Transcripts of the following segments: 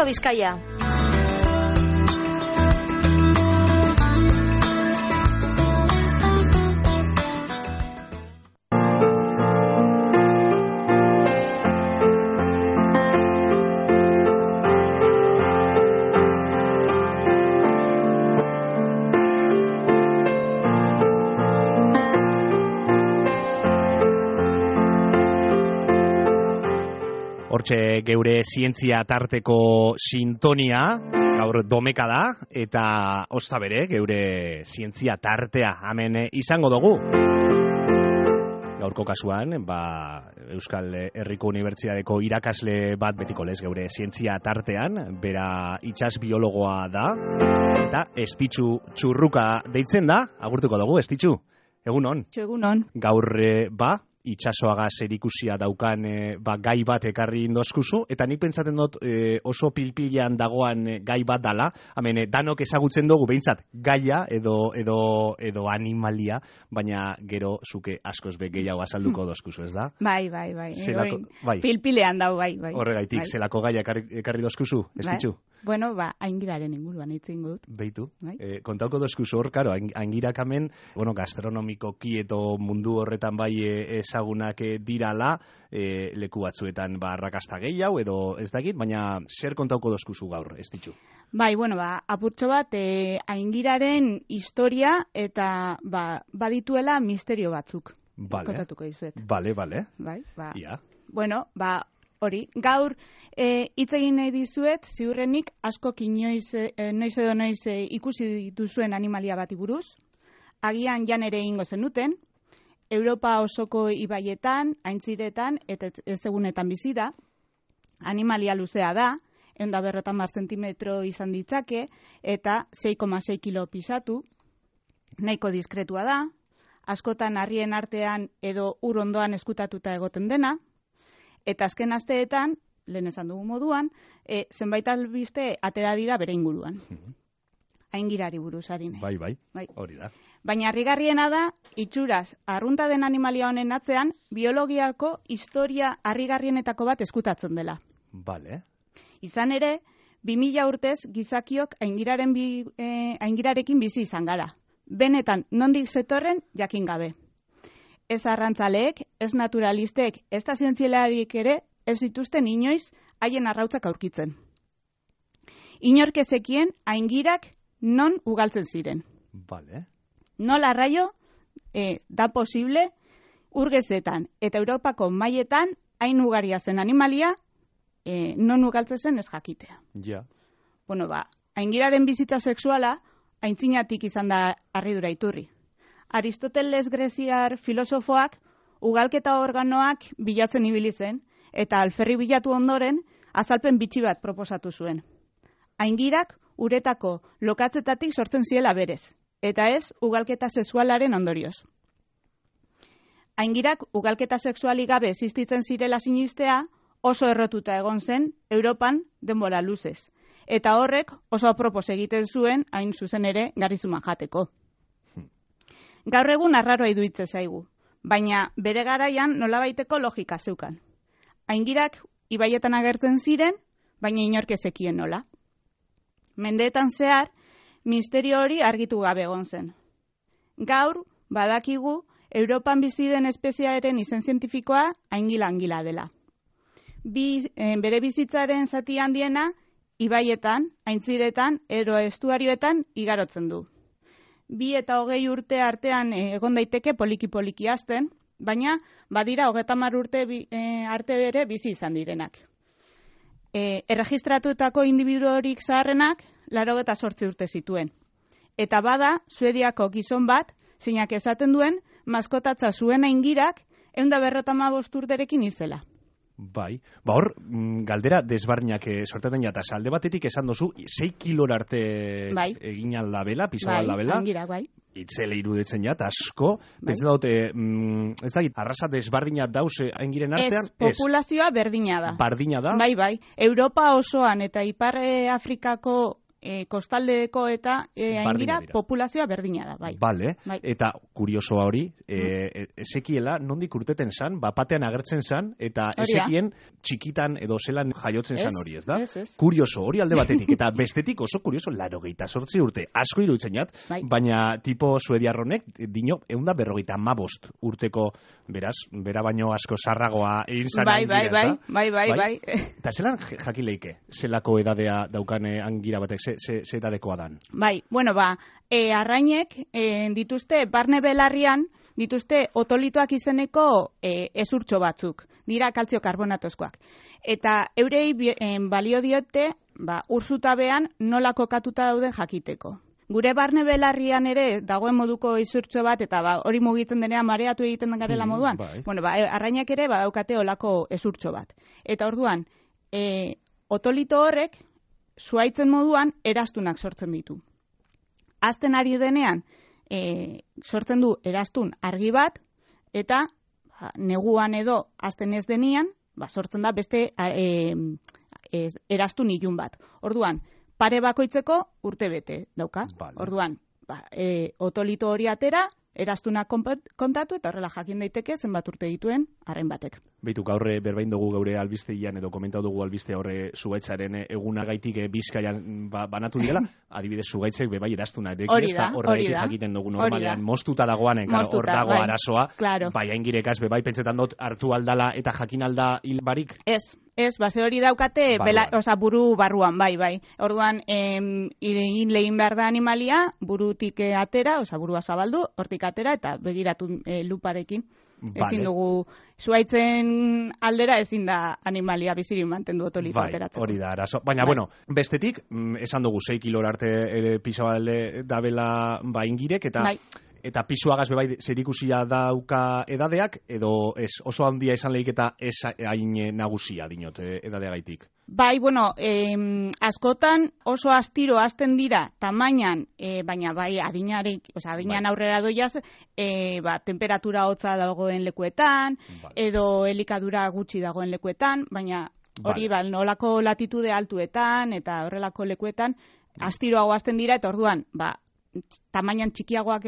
Bizkaia. Hortxe geure zientzia tarteko sintonia, gaur domeka da, eta osta bere geure zientzia tartea hemen izango dugu. Gaurko kasuan, Euskal Herriko Unibertsitateko irakasle bat betiko lez geure zientzia tartean, bera itsas biologoa da, eta Estitxu Txurruka deitzen da, agurtuko dugu, Estitxu, egunon? Egunon. Gaur, itxasoaga zerikusia daukan gai bat ekarri indoskuzu, eta nik pentsaten dut oso pilpilean dagoan gai bat dala, hemen danok ezagutzen dugu behintzat gaia edo animalia, baina gero zuke askoz be gehiago azalduko doskuzu, ez da? Bai. Pilpilean dau, bai. Horregaitik, zelako gaia ekarri doskuzu, Estitxu? Bueno, aingiraren inguruan itzin gut. Beitu, kontauko doskuzu hor, karo, aingirak hemen, gastronomikoki edo mundu horretan bai ezagunak dirala, leku batzuetan arrakasta gehiago edo ez dakit, baina zer kontauko doskuzu gaur, Estitxu? Bai, apurtxo bat, aingiraren historia eta badituela misterio batzuk. Kontatuko dizuet. Bale. Bai, Ia. Bueno, hori, gaur hitz egin nahi dizuet, ziurrenik askok noiz edo noiz ikusi dituzuen animalia bati buruz, agian jan ere ingo zenuten, Europa osoko ibaietan, aintziretan eta ezegunetan bizi da, animalia luzea da, 150 zentimetro izan ditzake, eta 6,6 kilo pisatu, nahiko diskretua da, askotan harrien artean edo ur ondoan eskutatuta egoten dena, eta azken asteetan, lehen esan dugu moduan, zenbait albiste atera dira bere inguruan. Aingirari buruz ari naiz. Bai, hori da. Baina harrigarriena da, itxuraz, arrunta den animalia honen atzean, biologiako historia harrigarrienetako bat eskutatzen dela. Bale. Izan ere, 2000 urtez gizakiok aingirarekin bizi izan gara. Benetan, nondik zetorren jakin gabe. Ez arrantzaleek, ez naturalistek, ez da zientzialarik ere, ez dituzten inoiz haien arrautzak aurkitzen. Inork ezekien aingirak non ugaltzen ziren. Vale. Nola arraio da posible urgezetan eta Europako mailetan hain ugaria zen animalia non ugaltzen zen ez jakitea. Ja. Bueno, aingiraren bizitza sexuala aintzinatik izan da harridura iturri. Aristoteles greziar filosofoak ugalketa organoak bilatzen ibili zen eta alferri bilatu ondoren azalpen bitxi bat proposatu zuen. Aingirak uretako lokatzetatik sortzen ziela berez, eta ez ugalketa sexualaren ondorioz. Aingirak ugalketa sexualik gabe existitzen zirela sinistea oso errotuta egon zen Europan denbora luzez, eta horrek oso apropos egiten zuen hain zuzen ere garrizuman jateko. Gaur egun arraroa iruditzen zaigu, baina bere garaian nolabaiteko logika zeukan. Aingirak ibaietan agertzen ziren, baina inork ezekien nola. Mendeetan zehar, misterio hori argitu gabe egon zen. Gaur, badakigu, Europan bizi den espeziaren izen zientifikoa aingila dela. Bere bizitzaren zati handiena, ibaietan, aintziretan, ero estuarioetan igarotzen du. 2 eta 20 urte artean egon daiteke poliki hazten, baina badira 30 urte arte bere bizi izan direnak. Erregistratutako individuorik zaharrenak 88 urte zituen. Eta bada, Suediako gizon bat, zeinak esaten duen, maskotatza zuen aingirak 155 urterekin hil zela. Bai, hor, galdera desbarniak sortaten jata, alde batetik esan dozu, 6 kilora arte egin aldabela, piso aldabela. Bai, aingirak, bai. Itzele iruditzen jat, asko. Pentsa daute, ez da, arrasa desbardinat dauz aingiren artean? Ez, populazioa berdina da. Bardina da? Bai. Europa osoan eta Ipar Afrikako kostaldeko eta aingira populazioa berdina da, bai. Bale, eta kuriosoa hori, ezekiela nondik urteten zan, bapatean agertzen zan, eta ezekien txikitan edo zelan jaiotzen zan hori, ez da? Kurioso, hori alde batetik, eta bestetik oso kurioso, 98 urte, asko iruditzen jat, baina tipo suediarronek, dino, 155 urteko, beraz, bera baino asko sarragoa egin zan angira, bai. Eta zelan jakileike, zelako edadea daukane angira batek, ze edadekoa dan? Bai, bueno, arrainek dituzte, barne belarrian, dituzte otolitoak izeneko ezurtxo batzuk, dira kaltzio karbonatozkoak. Eta eurei balio diote, urzutabean nola kokatuta daude jakiteko. Gure barne belarrian ere dagoen moduko izurtxo bat, eta hori mugitzen denean mareatu egiten garela moduan. Bueno, arrainak ere badaukate olako ezurtxo bat. Eta orduan, otolito horrek, zuaitzen moduan, eraztunak sortzen ditu. Azten ari denean, sortzen du eraztun argi bat, eta neguan edo azten ez denian, sortzen da beste eraztun ilun bat. Orduan, pare bakoitzeko urte bete dauka. Orduan, otolito hori atera, eraztunak kontatu, eta horrela jakin daiteke zenbat urte dituen arren batek. Beitu, gaurre berbain dugu geure albisteian edo komentau dugu albiste horre Zugaitzaren egunagaitik Bizkaian banatu direla, adibidez Zugaitzek bebai eraztuna horregaitik jakiten dugu normalean moztuta dagoanen, hor dago arazoa, bai aingirekaz bebai pentsetan dut hartu aldala eta jakin alda hil barik? Ez, base hori daukate buru barruan, bai. Orduan, lehin behar da animalia, burutik atera, burua zabaldu, hortik atera, eta begiratu luparekin. Ezin dugu, zuaitzen aldera ezin da animalia bizirik mantendu otolito ateratzen. Hori da, arazo. Baina, bueno, bestetik, esan dugu 6 kilora arte pisabalde dabela ingirek, eta pisuagaz bebai zerikusia dauka edadeak, edo oso handia izan lehik eta ez hain nagusia dinot edadeagaitik. Bai, bueno, askotan oso astiro hasten dira tamainan, baina bai adinan aurrera doiaz, temperatura hotza dagoen lekuetan, edo elikadura gutxi dagoen lekuetan, baina hori nolako latitude altuetan eta horrelako lekuetan astiroago hasten dira, eta orduan, tamainan txikiagoak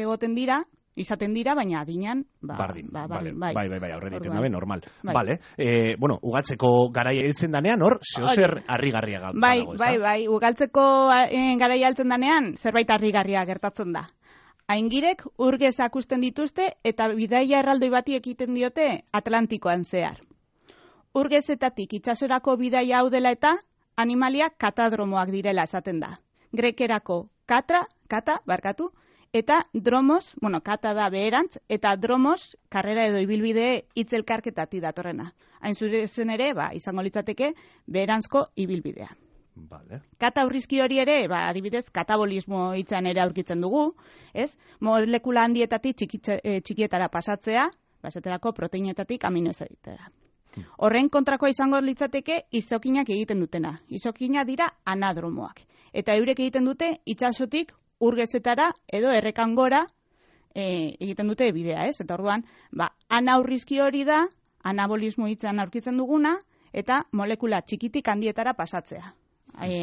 izaten dira, baina adinan bardin. Bai, aurrera iten dabe, normal. Vale, bueno, ugaltzeko garaia heltzen danean, hor, zehozer harrigarria dago, Bai, ugaltzeko garaia heltzen danean, zerbait harrigarria gertatzen da. Aingirek urgez akusten dituzte, eta bidaia erraldoi bati ekiten diote Atlantikoan zehar. Urgezetatik itsasorako bidaia hau dela eta, animaliak katadromoak direla esaten da. Grekerako kata, eta dromos, kata da beherantz, eta dromos, karrera edo ibilbide hitzelkarketati datorrena. Hain zuzen ere, izango litzateke, beherantzko ibilbidea. Kata urrizki hori ere, adibidez, katabolismo hitzan ere aurkitzen dugu, ez? Molekula handietatik txikietara pasatzea, esaterako proteinetatik aminoazidetara. Horren kontrakoa izango litzateke izokinak egiten dutena. Izokinak dira anadromoak. Eta eurek egiten dute itsasotik urgezetara edo errekan gora egiten dute bidea, ez? Eta orduan, anaurrizki hori da, anabolismo hitzan aurkitzen duguna, eta molekula txikitik handietara pasatzea.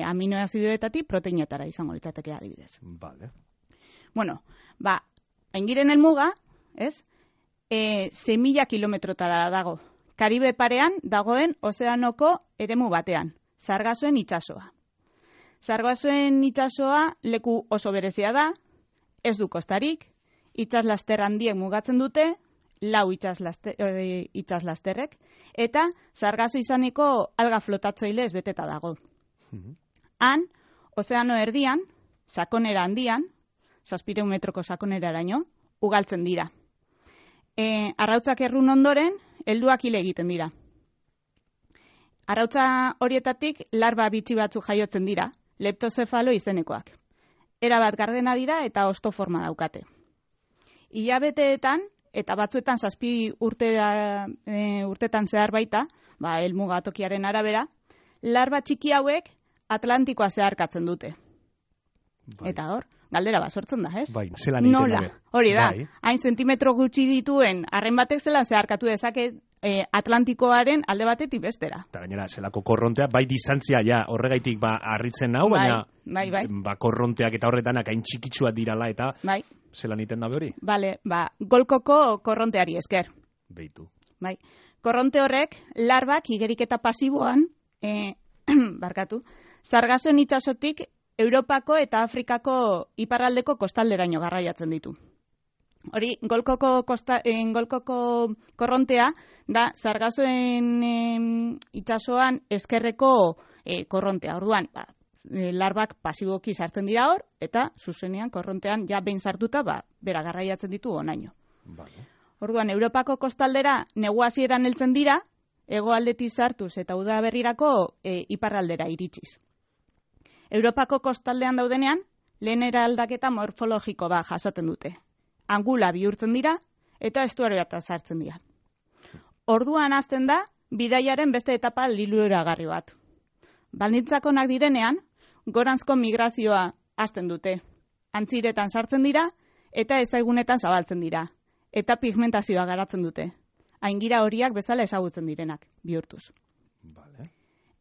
Aminoazidoetatik proteinetara izango litzateke adibidez. Bueno, aingiren helmuga, ez? 6.000 kilometrotara dago. Karibe parean dagoen ozeanoko eremu batean, Sargasoen itsasoa. Sargasoen itsasoa leku oso berezia da, ez du kostarik, itsaslaster handiek mugatzen dute, 4 itsaslasterrek, eta sargaso izaneko alga flotatzailez beteta dago. Han, ozeano erdian, sakonera handian, 700 metroko sakoneraraino, ugaltzen dira. Arrautzak errun ondoren, helduak hil egiten dira. Arrautza horietatik larba bitxi batzuk jaiotzen dira, leptozefalo izenekoak. Erabat gardena dira eta osto forma daukate. Hilabeteetan, eta batzuetan 7 urtetan zehar baita, helmuga tokiaren arabera, larba txiki hauek Atlantikoa zeharkatzen dute. Eta hor, galdera sortzen da, ez? Zelan egiten nola? Hori da, hain zentimetro gutxi dituen arren batek zelan zeharkatu dezake Atlantikoaren alde batetik bestera. Eta gainera, zelako korrontea, distantzia horregaitik harritzen nau, baina ba, korronteak eta horretanak hain txikitsua dirala eta bai. zelan iten dabe hori? Bale, golkoko korronteari esker. Beitu. Bai. Korronte horrek, larbak igeriketa pasiboan, barkatu, Sargasoen itsasotik Europako eta Afrikako iparraldeko kostalderaino garraiatzen ditu. Hori, golkoko korrontea da Sargasoen itsasoan eskerreko korrontea. Orduan, larbak pasiboki sartzen dira hor, eta zuzenean korrontean ja behin sartuta, bera garraiatzen ditu onaino. Vale. Orduan, Europako kostaldera negu hasieran heltzen dira, hegoaldetik sartuz eta udaberrirako iparraldera iritsiz. Europako kostaldean daudenean, lehen eraldaketa morfologiko bat jasaten dute. Angula bihurtzen dira eta estuarioetan sartzen dira. Orduan hasten da, bidaiaren beste etapa liluragarri bat. Baldintzak onak direnean, goranzko migrazioa hasten dute. Antziretan sartzen dira eta ezaigunetan zabaltzen dira. Eta pigmentazioa garatzen dute. Aingira horiak bezala ezagutzen direnak, bihurtuz. Vale.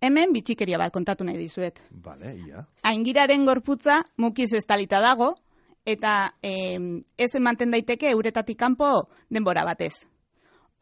Hemen bitxikeria bat kontatu nahi dizuet. Vale, ia. Aingiraren gorputza mukiz estalita dago, eta ez ematen daiteke uretatik kanpo denbora batez.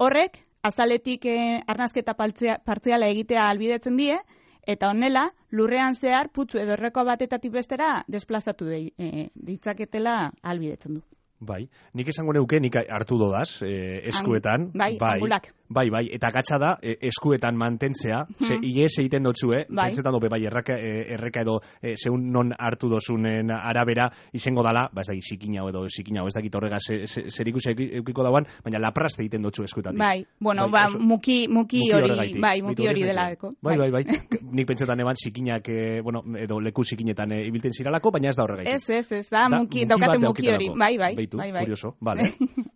Horrek, azaletik arnazketa partziala egitea ahalbidetzen die, eta honela, lurrean zehar putzu edo erreko batetatik bestera desplazatu ditzaketela ahalbidetzen du. Bai, nik esango neuke, nik hartu dodaz, eskuetan. Angulak. Bai, eta gatsa da, eskuetan mantentzea, ze ies egiten dotzue, pentsetan dope, erreka edo zeun non hartu dozunen arabera, izango dala, ez dakit zikina edo, ez dakit horrega zerikusia eukiko dauan, baina laprast egiten dotzu eskuetatik. Bai, bueno, muki hori dela eko. Bai, nik pentsetan eban zikinak, edo leku zikinetan ibilten ziralako, baina ez da horregaitik. Ez, da, daukate muki hori, bai. Curioso, vale.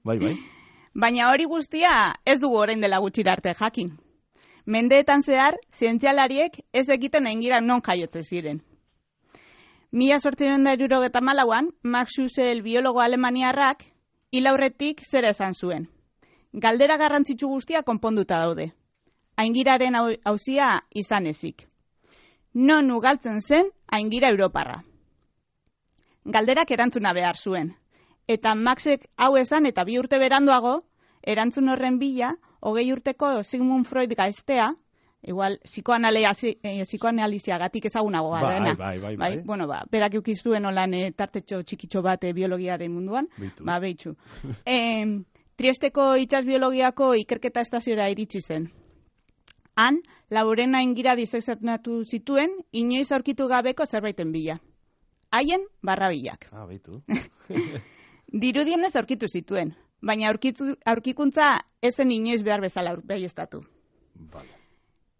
Bai. Baina hori guztia ez dugu orain dela gutxira arte jakin. Mendeetan zehar, zientzialariek ez egiten aingira non jaiotzen ziren. 1874an, Max Schüssel biologo alemaniarrak hil aurretik zera esan zuen. Galdera garrantzitsu guztia konponduta daude. Aingiraren auzia izan ezik. Non ugaltzen zen aingira europarra. Galderak erantzuna behar zuen. Eta Maxek hau esan eta 2 urte beranduago, erantzun horren bila, 20 urteko Sigmund Freud gaztea, igual psikoanaliziagatik ezagunago garena. Bai. Bueno, berak eukizuen olan tartetxo txikitxo bat biologiaren munduan. Behitxu. Triesteko itsas biologiako ikerketa estaziora iritsi zen. Han, Laurena aingira disezernatu zituen, inoiz aurkitu gabeko zerbaiten bila. Haien, barrabilak. Beitu. Dirudienez aurkitu zituen, baina aurkikuntza ezen inoiz behar bezala baieztatu. Vale.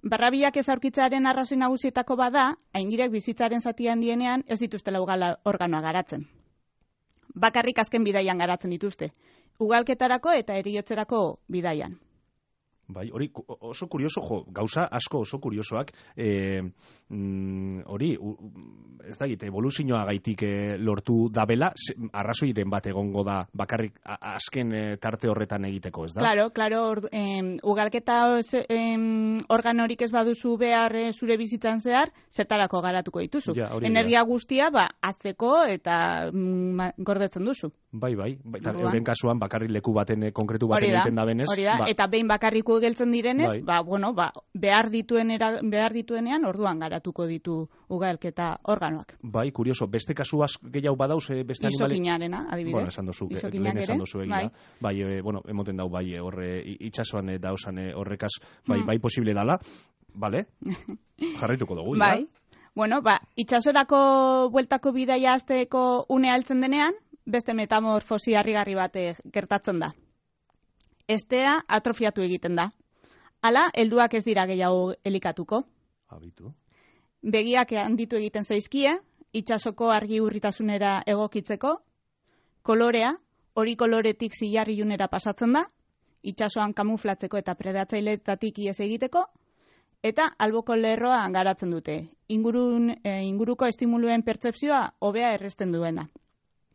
Barrabilak ez aurkitzaren arrazoi nagusietako bada, aingirek bizitzaren zatian dienean ez dituztela organoa garatzen. Bakarrik azken bidaian garatzen dituzte, ugalketarako eta heriotzerako bidaian. Bai, hori oso kurioso, gauza asko oso kuriosoak, hori, ez da egite, evoluzioa gaitik lortu dabela, arrazoiren bat egongo da bakarrik azken tarte horretan egiteko, ez da? Claro, ugalketa organorik ez baduzu behar zure bizitzan zehar, zertarako garatuko dituzu. Energia guztia, azteko eta gordetzen duzu. Bai, eta euren kasuan bakarrik leku baten, konkretu baten egiten da benez. Hori da, eta behin bakarriko geltzen direnez, behar dituenean orduan garatuko ditu ugalketa organoak. Bai, kurioso, beste kasu gehiago badauz, beste animale... Izokinarena, adibidez. Esan dozu, lehen esan dozu egia. Bai, emoten dau, horre, itxasuan dauzan horrekaz, bai, posible dala. Bale, jarraituko dugu, bai. Itxasorako bueltako bidaia azteko une altzen denean, beste metamorfosi harrigarri bat gertatzen da. Estea atrofiatu egiten da. Hala, helduak ez dira gehiago elikatuko. Habitu. Begiak handitu egiten zaizkie, itsasoko argi urritasunera egokitzeko, kolorea, hori koloretik zilarrilunera pasatzen da, itsasoan kamuflatzeko eta predatzaileetatik ihes egiteko, eta alboko lerroa garatzen dute. Inguruko estimuluen pertzepzioa hobea erresten duena.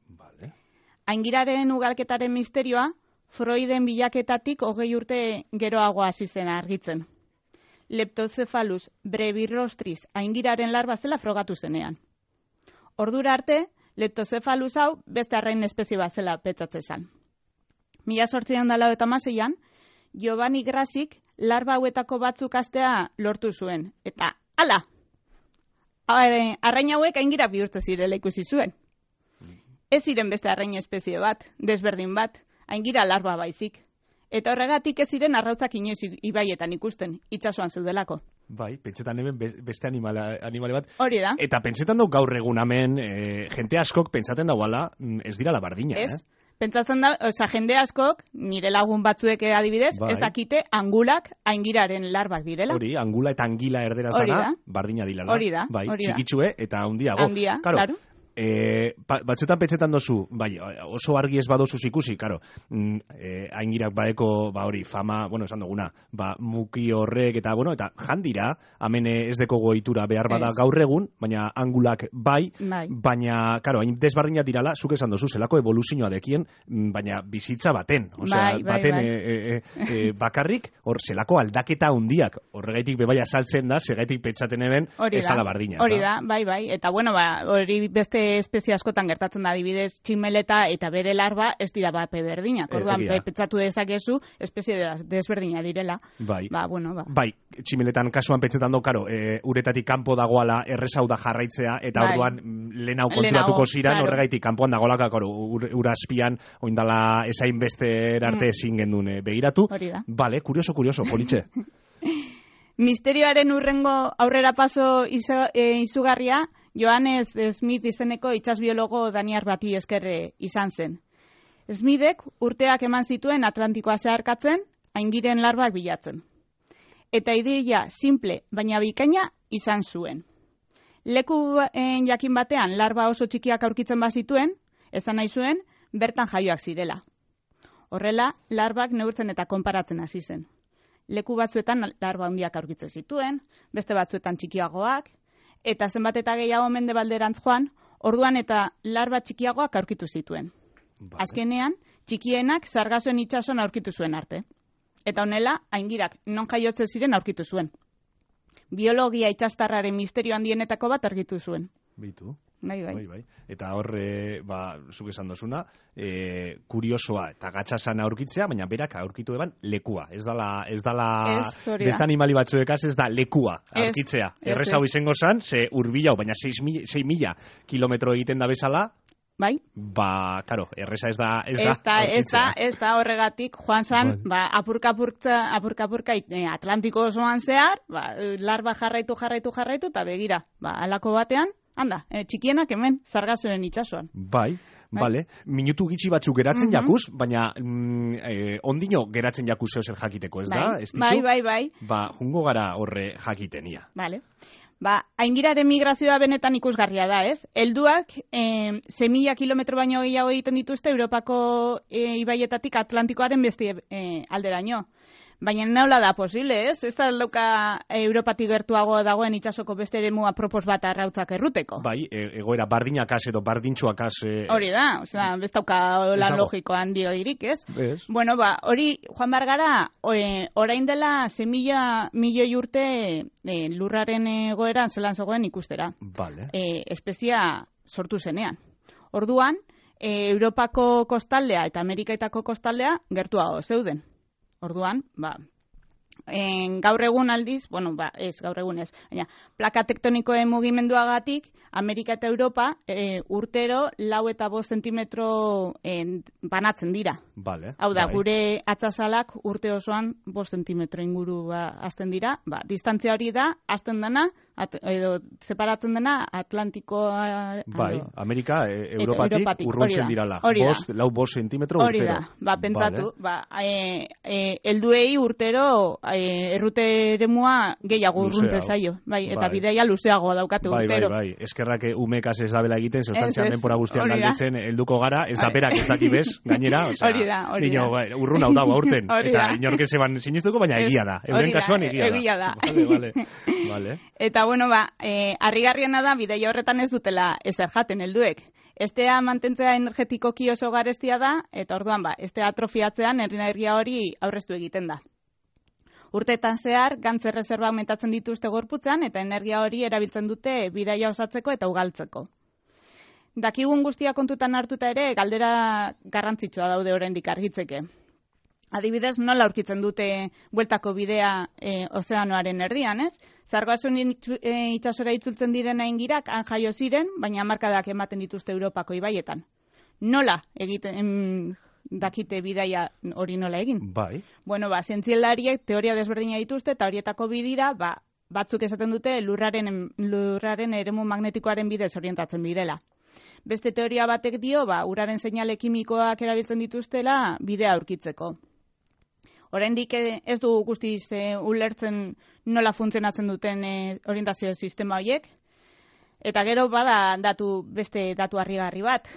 Vale. Aingiraren ugalketaren misterioa, Freuden bilaketatik 20 urte geroago hasi zen argitzen. Leptocephalus brevirostris aingiraren larba zela frogatu zenean. Ordura arte, Leptocephalus hau beste arrain espezie bat zela petzatzen zen. 1896an, Giovanni Grassik larba hauetako batzuk astea lortu zuen. Eta, hala! Arrain hauek aingira bihurtze zirela ikusi zuen. Ez ziren beste arrain espezie bat, desberdin bat, aingira larba baizik. Eta horregatik ez ziren arrautzak inoiz ibaietan ikusten, itsasoan zeudelako. Bai, pentsetan hemen beste animale bat. Hori da. Eta pentsetan dau gaur egun hemen, jente askok pentsaten dauala, ez dira la bardina, Ez? Pentsatzen da, jende askok, nire lagun batzuek adibidez, Bai. ez dakite angulak aingiraren larbak direla. Hori, angula eta angila erderaz Hori dana, da. berdina dilala. Hori da, Bai, hori da. txikitsue eta handiago. Handia, claro. Batzuetan pentsetan dozu, bai, oso argi ez badozuz ikusi, karo, aingirak badeko, hori, fama, esan duguna, muki horrek, eta jandira, hemen ez deko goitura behar bada gaur egun, baina angulak bai, baina, karo, hain desbardina dirala, zuk esan dozu, zelako evoluzioa dekien, baina bizitza baten, osea, bakarrik, hor, zelako aldaketa handiak, horregaitik bebaia saltzen da, segaitik pentsaten eben, ezala bardina. Hori da, bai, eta hori beste espezie askotan gertatzen da, adibidez, tximeleta eta bere larba ez dira bape berdinak. Orduan, pentsatu dezakezu, espezie desberdina direla. Bai. Bai, tximeletan kasuan pentsetan do, karo, uretatik kanpo dagoala errezau da jarraitzea, eta orduan lehenau konturatuko ziran, horregaitik kanpoan dagoelaka, karo, urazpian, oindala esain beste erarte ezin gendun begiratu. Hori da. Bale, kurioso, politxe. Misterioaren urrengo aurrera paso izugarria, Johannes Smith izeneko itsasbiologo daniar bati esker izan zen. Smithek urteak eman zituen Atlantikoa zeharkatzen, aingiren larbak bilatzen. Eta ideia simple, baina bikaina izan zuen. Leku jakin batean larba oso txikiak aurkitzen bazituen, esan nahi zuen, bertan jaioak zirela. Horrela, larbak neurtzen eta konparatzen hasi zen. Leku batzuetan larba handiak aurkitzen zituen, beste batzuetan txikiagoak, eta zenbat eta gehiago mendebalderantz joan, orduan eta larba txikiagoak aurkitu zituen. Vale. Azkenean, txikienak Sargasoen itsasoan aurkitu zuen arte. Eta honela, aingirak non jaiotze ziren aurkitu zuen. Biologia itsastarraren misterio handienetako bat argitu zuen. Bitu. Bai. Eta horre, zuk esan dozuna, kuriosoa eta gatxasan aurkitzea, baina berak aurkitu eban lekua. Ez dala beste animali batzuekaz ez da lekua aurkitzea. Errez hau izango zan, ze urbilau, baina 6.000 kilometro egiten da bezala. Bai. Karo, erreza ez da ez da horregatik, joan zan, apurka Atlantiko osoan zehar, larba jarraitu, eta begira, alako batean, handa, txikienak hemen, Sargasoen itsasoan. Bai. Vale. Minutu gitxi batzuk geratzen jakuz, baina ondino geratzen jakuz zer jakiteko, ez da? Bai. Jungo gara horre jakitenia. Vale. Aingiraren migrazioa benetan ikusgarria da, ez? Helduak 6.000 kilometro baino gehiago egiten dituzte Europako ibaietatik Atlantikoaren beste alderaino. Baina nola da posible, ez? Ez da dauka Europatik gertuago dagoen itsasoko beste eremu apropos bat arrautzak erruteko. Bai, egoera bardinakas edo bardintxoakas... Hori da, ez dauka lan logiko handioirik, ez? Ez. Hori, joan bargara, orain dela 6.000 milioi urte lurraren egoeran zelan zegoen ikustera. Vale. Espezia sortu zenean. Orduan, Europako kostaldea eta Amerikaetako kostaldea gertuago zeuden. Orduan, gaur egun aldiz, gaur egun ez, baina plaka tektonikoen mugimenduagatik, Amerika eta Europa urtero 4 eta 5 zentimetro banatzen dira. Vale, hau da, gure atzasalak urte osoan 5 zentimetro inguru azten dira, distantzia hori da, azten dena, edo separatzen dena Atlantikoa... Bai, Amerika, Europatik urruntzen dirala. 5 zentimetro urtero. Hori da, pentsatu, helduei urtero errute eremua gehiago urruntzen zaio. Bai, eta bidaia luzeagoa daukate urtero. Bai, eskerrak umekaz ez dabela egiten, zostantzian denpora guztian galdetzen helduko gara, ez da berak ez daki bez, gainera, hori da. Urrun hau dago aurten, eta inorke zeban sinistuko, baina egia da. Euren kasuan egia da. Vale. Eta harrigarriena da, bidaia horretan ez dutela ezer jaten helduek. Estea mantentzea energetikoki oso garestia da, eta orduan estea atrofiatzean energia hori aurreztu egiten da. Urteetan zehar, gantz erreserba aumentatzen dituzte gorputzean, eta energia hori erabiltzen dute bidaia osatzeko eta ugaltzeko. dakigun guztia kontutan hartuta ere, galdera garrantzitsua daude oraindik argitzeke. Adibidez, nola aurkitzen dute bueltako bidea ozeanoaren erdian, ez? Sargason itsasora itzultzen diren aingirak han jaio ziren, baina hamarkadak ematen dituzte Europako ibaietan. Nola egiten dakite bidaia hori nola egin? Bai. Bueno, zientzialariek teoria desberdina dituzte eta horietako bidira, batzuk esaten dute lurraren eremu magnetikoaren bidez orientatzen direla. Beste teoria batek dio, uraren seinale kimikoak erabiltzen dituztela bidea aurkitzeko. Oraindik ez du guztiz ulertzen nola funtzionatzen duten orientazio sistema horiek. Eta gero bada beste datu harrigarri bat.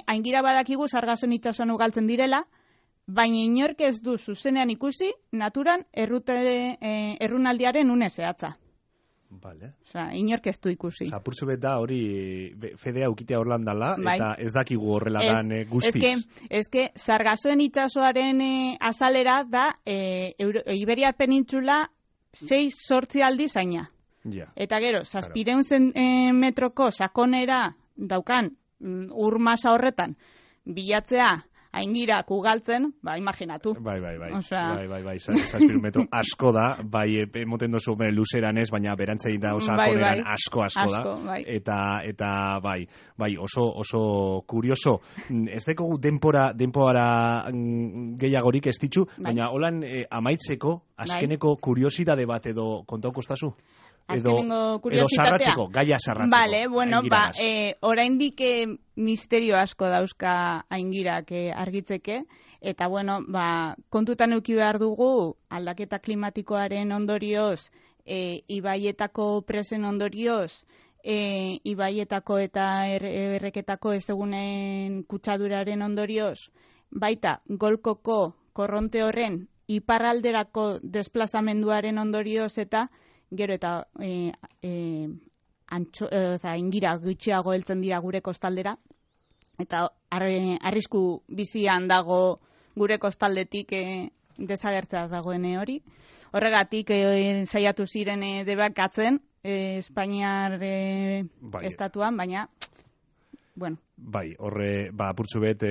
Aingira badakigu sargason itsasoan ugaltzen direla, baina inork ez du zuzenean ikusi naturan errunaldiaren une zehatza. Vale. Osea, inork ez du ikusi. Apurtxo bet da hori fedea ukitea Orlandala, eta ez dakigu horrela dan guztiz. Eske, sargasoen itsasoaren azalera da Iberiar penintsula 6-8 aldiz zaina. Ja. Eta gero, 700 metroko sakonera daukan ur masa horretan bilatzea aingirak ugaltzen, imaginatu. Bai. Osea... Bai, 7 metro asko da, emoten dozu luzeran ez, baina berantzein da osakoneran asko da. Bai. Eta bai, oso kurioso. Ez dekogu denpora gehiagorik ez ditzu, baina holan amaitzeko, azkeneko kuriosidade bat edo kontauko estazu? Edo sarratzeko, gaia sarratzeko. Vale, bueno, oraindik misterio asko dauzka aingirak argitzeke, eta bueno, kontutan eduki behar dugu aldaketa klimatikoaren ondorioz, ibaietako presen ondorioz, ibaietako eta erreketako ezegunen kutsaduraren ondorioz, baita golkoko korronte horren iparralderako desplazamenduaren ondorioz eta gero eta aingira gutxiago heltzen dira gure kostaldera, eta arrisku bizian dago gure kostaldetik desagertzea dagoen hori. Horregatik saiatu ziren debekatzen Espainiar estatuan, baina bueno. Bai, horre, apurtxu bet,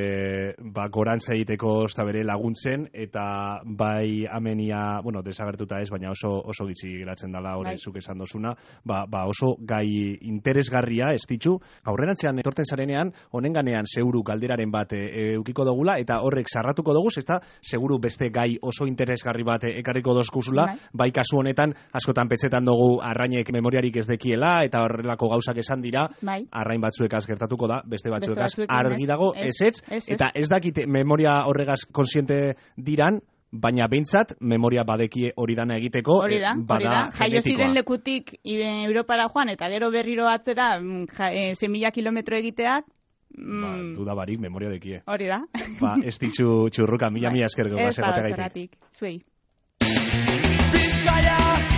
gorantza egiteko ez da bere laguntzen, eta bai amenia, desagertuta ez, baina oso gitzi geratzen dela horre zuk esan dozuna, oso gai interesgarria, ez ditzu, aurrerantzean etorten zarenean, honenganean seguru galderaren bat eukiko dugula, eta horrek sarratuko dugu, ez da, seguru beste gai oso interesgarri bat ekarriko dozkuzula, bai kasu honetan, askotan petxetan dugu arrainek memoriarik ez dekiela, eta horrelako gauzak esan dira, arrain batzuek gertatuko da, beste batzuekaz argi dago, ez, eta ez dakite memoria horregaz konsiente diran, baina behintzat memoria badekie hori dana egiteko, hori da. Jaio ziren lekutik Europara joan, eta gero berriro atzera 1.000 kilometro egiteak, dudabarik memoria dekie. Hori da. Ez ditzu txurruka, mila esker gau. Ez da, zuei. Bizkaia